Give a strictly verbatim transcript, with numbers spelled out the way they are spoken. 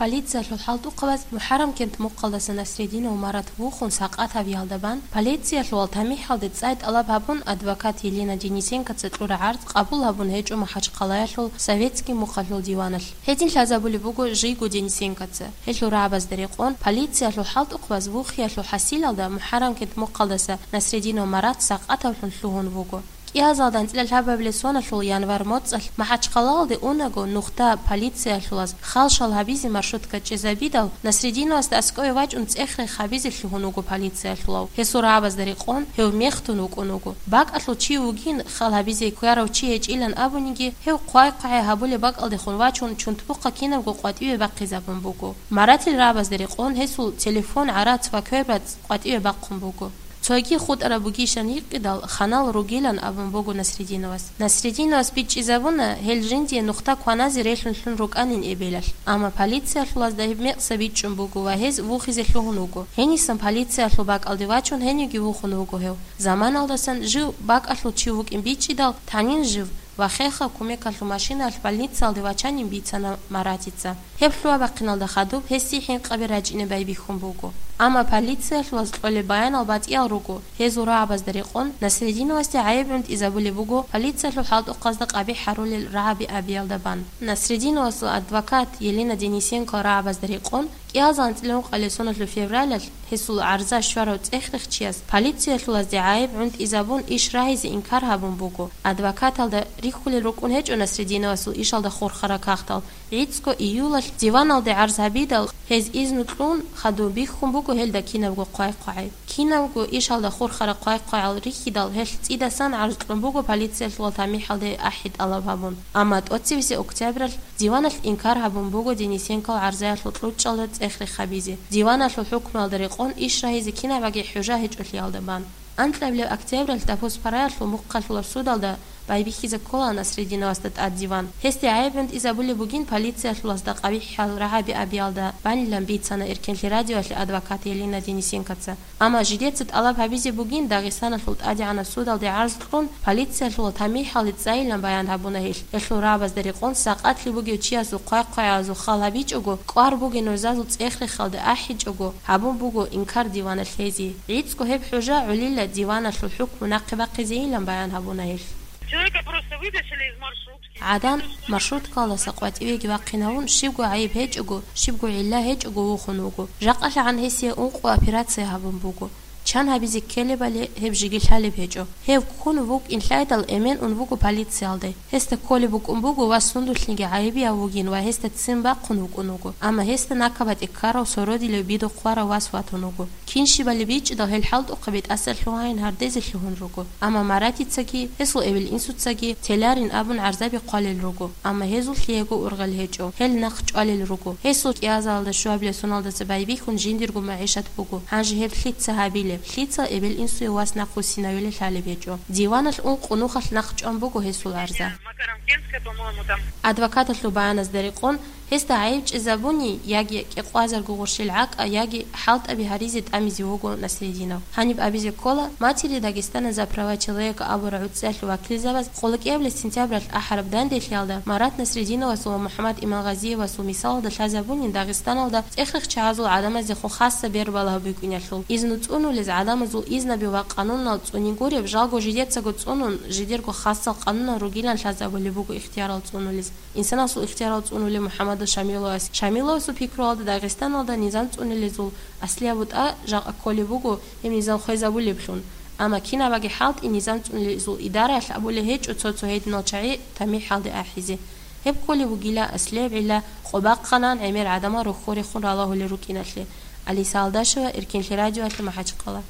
Полициялъул хӀалтӀухъабаз МухӀаррамкент мухъалдаса Насрединов Марат вухун сакъат гьабиялда бан, полициялъул тамихӀалде цӀай тӀалаб гьабун, адвокат Елена Денисенкоца кьура гӀарз къабул гьабун гьечӀо МахӀачхъалаялъул Советский мухъалъул диваналъ. Гьедин лъазабулеб буго жийго Денисенкоца. Гьелъул рагӀабазда рекъон, полициялъул хӀалтӀухъабаз вухиялъул хӀасилалда МухӀаррамкент мухъалдаса Насрединов Марат сакъатавлъун лъугьун вуго. КӀиазалда анцӀила лъабабилеб соналъул январь моцӀалъ МахӀачхъалаялде унаго, нухда полициялъулаз хал-шал гьабизе маршрутка чӀезабидал, Насрединовасда аскӀове вачӀун цӀех-рех гьабизе лъугьун вуго полициялъулав. Гьесул рагӀабазда рекъон, гьев мехтун вукӀун вуго. БакӀалъул чи вугин, хал гьабизе кверав чи гьечӀилан абуниги, гьев хъвай-хъвагӀай гьабулеб бакӀалдехун вачун, чунтбухъа кинабго къватӀиве бахъизабун буго. Маратил рагӀабазда рекъон, гьесул телефон, гӀарац ва квербацӀ къватӀиве бахъун буго. Цоги хутӀараб бугищан гьикъидал, ханал ругилан абун буго Насрединовас. Насрединовас бичӀчӀизабуна, гьел жиндие нухда кваназе релълъун лъун рукӀанин эбелалъ, амма полициялъулазда гьеб мекъса бичӀчӀун буго ва гьез вухизе лъугьун вуго. Гьенисан полициялъул бакӀалде вачун гьенивги вухун вуго гьев. Заманалдасан жив бакӀалъул чи вукӀин бичӀчӀидал, танин жив ва хехаб кумекалъул машинаялъ больницаялде вачанин бицана Маратица. Гьеб лъугьа-бахъиналда хадуб гьесие хӀинкъаби рачӀине байбихьун буго. Амма полициялъулаз кьолеб баянал батӀиял руго, гьезул рагӀабазда рекъон, Насрединовасде гӀайиб гӀунтӀизабулеб буго полициялъул хӀалтӀухъазда къабихӀ гьарулел рагӀаби абиялда бан. Насрединовасул адвокат Елена Денисенко рагӀабазда рекъон, кӀиазал анцӀила ункъабилеб соналъул февралалъ гьесул гӀарза щварав цӀех-рехчияс полициялъулазде гӀайиб гӀунтӀизабун иш рагьизе инкар гьабун буго. Адвокаталда рихьулел рукӀун гьечӀо Насрединовасул ишалда хурхараб кагътал. ГӀицӀго июлалъ диваналде гӀарз гьабидал, гьез изну кьун, хадуб бихьун буго гьелда кинабго хъвай-хъвагӀай. Кинабго ишалда хурхараб хъвай-хъвагӀал рихьидал, гьелъ цӀидасан гӀарз кьун буго полициялъулал тамихӀалде ахӀи тӀалаб гьабун. Амма тӀоцебесеб октябралъ диваналъ инкар гьабун буго Денисенкол гӀарзаялъул кьучӀалда цӀех-рех гьабизе. Диваналъул хӀукмуялда рекъон иш рагьизе кинабаги хӀужа гьечӀолъиялда бан. Анкьабилеб октябралъ Дапус-Параялъул мухъалъулаб судалда байбихьизе ккола Насрединовасда тӀад диван. Гьесде гӀайиб гӀунтӀизабулеб бугин полициялъулазда къабихӀал рагӀаби абиялда банилан бицана Эркенлъи радиоялъе адвокат Елена Денисенкоца. Амма жидеца тӀалаб гьабизе бугин Дагъистаналъул ТӀадегӀанаб судалде гӀарз кьун, полициялъулал тамихӀалде цӀайилан баян гьабуна гьелъ. Гьелъул рагӀабазда рекъон сакъатлъи бугев чиясул хъвай-хъвагӀазул хал гьабичӀого, кӀвар бугин нужазул цӀех-рехалде ахӀичӀого, гьабун буго инкар диваналъ гьезие. ГӀицӀго гьеб хӀужа гӀолила диваналъул хӀукму нахъе бахъизейилан баян гьабуна гьелъ. Человека просто вытащили из маршрутки. ГӀадан маршруткалдаса къватӀивеги вахъинавун, щибго гӀайиб гьечӀого, щибго гӀилла гьечӀого вухун вуго. ЖакъалъагӀан гьесие ункъо операция гьабун буго. Чан гьабизе ккелебали гьеб жеги лъалеб гьечӀо. Гьев ккун вукӀин лъайдал, эмен ун вуго полициялде. Гьесда кколеб букӀун буго ва сундулъниги гӀайибияв вугин ва гьесда ццин бахъун вукӀун вуго. Амма гьесда накабатӀи ккарав сородилев бидухъ варав вас ватун вуго. Кин щибали бичӀчӀидал гьел хӀалтӀухъаби тӀаса лъугьайин гьардезе лъугьун руго. Амма Маратицаги, гьесул эбел-инсуцаги теларин абун гӀарзаби хъвалел руго. Амма гьезул лъиего ургъел гьечӀо, гьел нахъ чӀвалел руго. Гьесул кӀиазалда щуабилеб соналдаса байбихьун жиндирго магӀишат буго. Гьанже гьеб лъица гьабилеб? Лъица эбел-инсуе вас нахъвуссинавилан лъалеб гьечӀо? Диваналъ ункъо нухалъ нахъ чӀван буго гьесул гӀарза. Адвокаталъул баяназда рекъон, гьесда гӀайиб чӀезабуни, яги кӀикъвазарго гъурщел гӀакӀа, яги хӀалтӀаби гьаризе тӀамизе вуго Насрединов. Гьаниб абизе ккола, Матери Дагестана за права человека абураб гӀуцӀиялъул вакилзабаз къуллукъиябилеб сентябралъ ахӀараб данделъиялда Марат Насрединовасул ва МухӀаммад Имангъазиевасул мисалалда лъазабунин Дагъистаналда цӀех-рехчагӀазул гӀадамаздехун хасса бербалагьа букӀиналъул. Изну цӀунулез гӀадамазул изнаби ва къанунал цӀуни гуреб, жалго жидецаго цӀунун, жидерго хасал къанунал ругилан лъазабулеб буго ихтиярал цӀунулез. Инсанасул ихтиярал цӀунулеб МухӀаммадул Шамиловас. Шамиловасул пикруялда Дагъистаналда низам цӀунилезул аслияб бутӀа жакъа кколеб буго гьеб низам хвезабулеблъун. Амма кинабаги хӀалтӀи низам цӀунилезул идараялъ абулеб гьечӀо цо-цо гьединал чагӀи тамихӀалде ахӀизе. Гьеб кколеб бугила аслияб гӀилла къо бахъанан гӀемер гӀадамал рохьорехун ралагьулел рукӀиналъе. Алиса Алдашева, Эркенлъи радиоялъе, МахӀачхъала.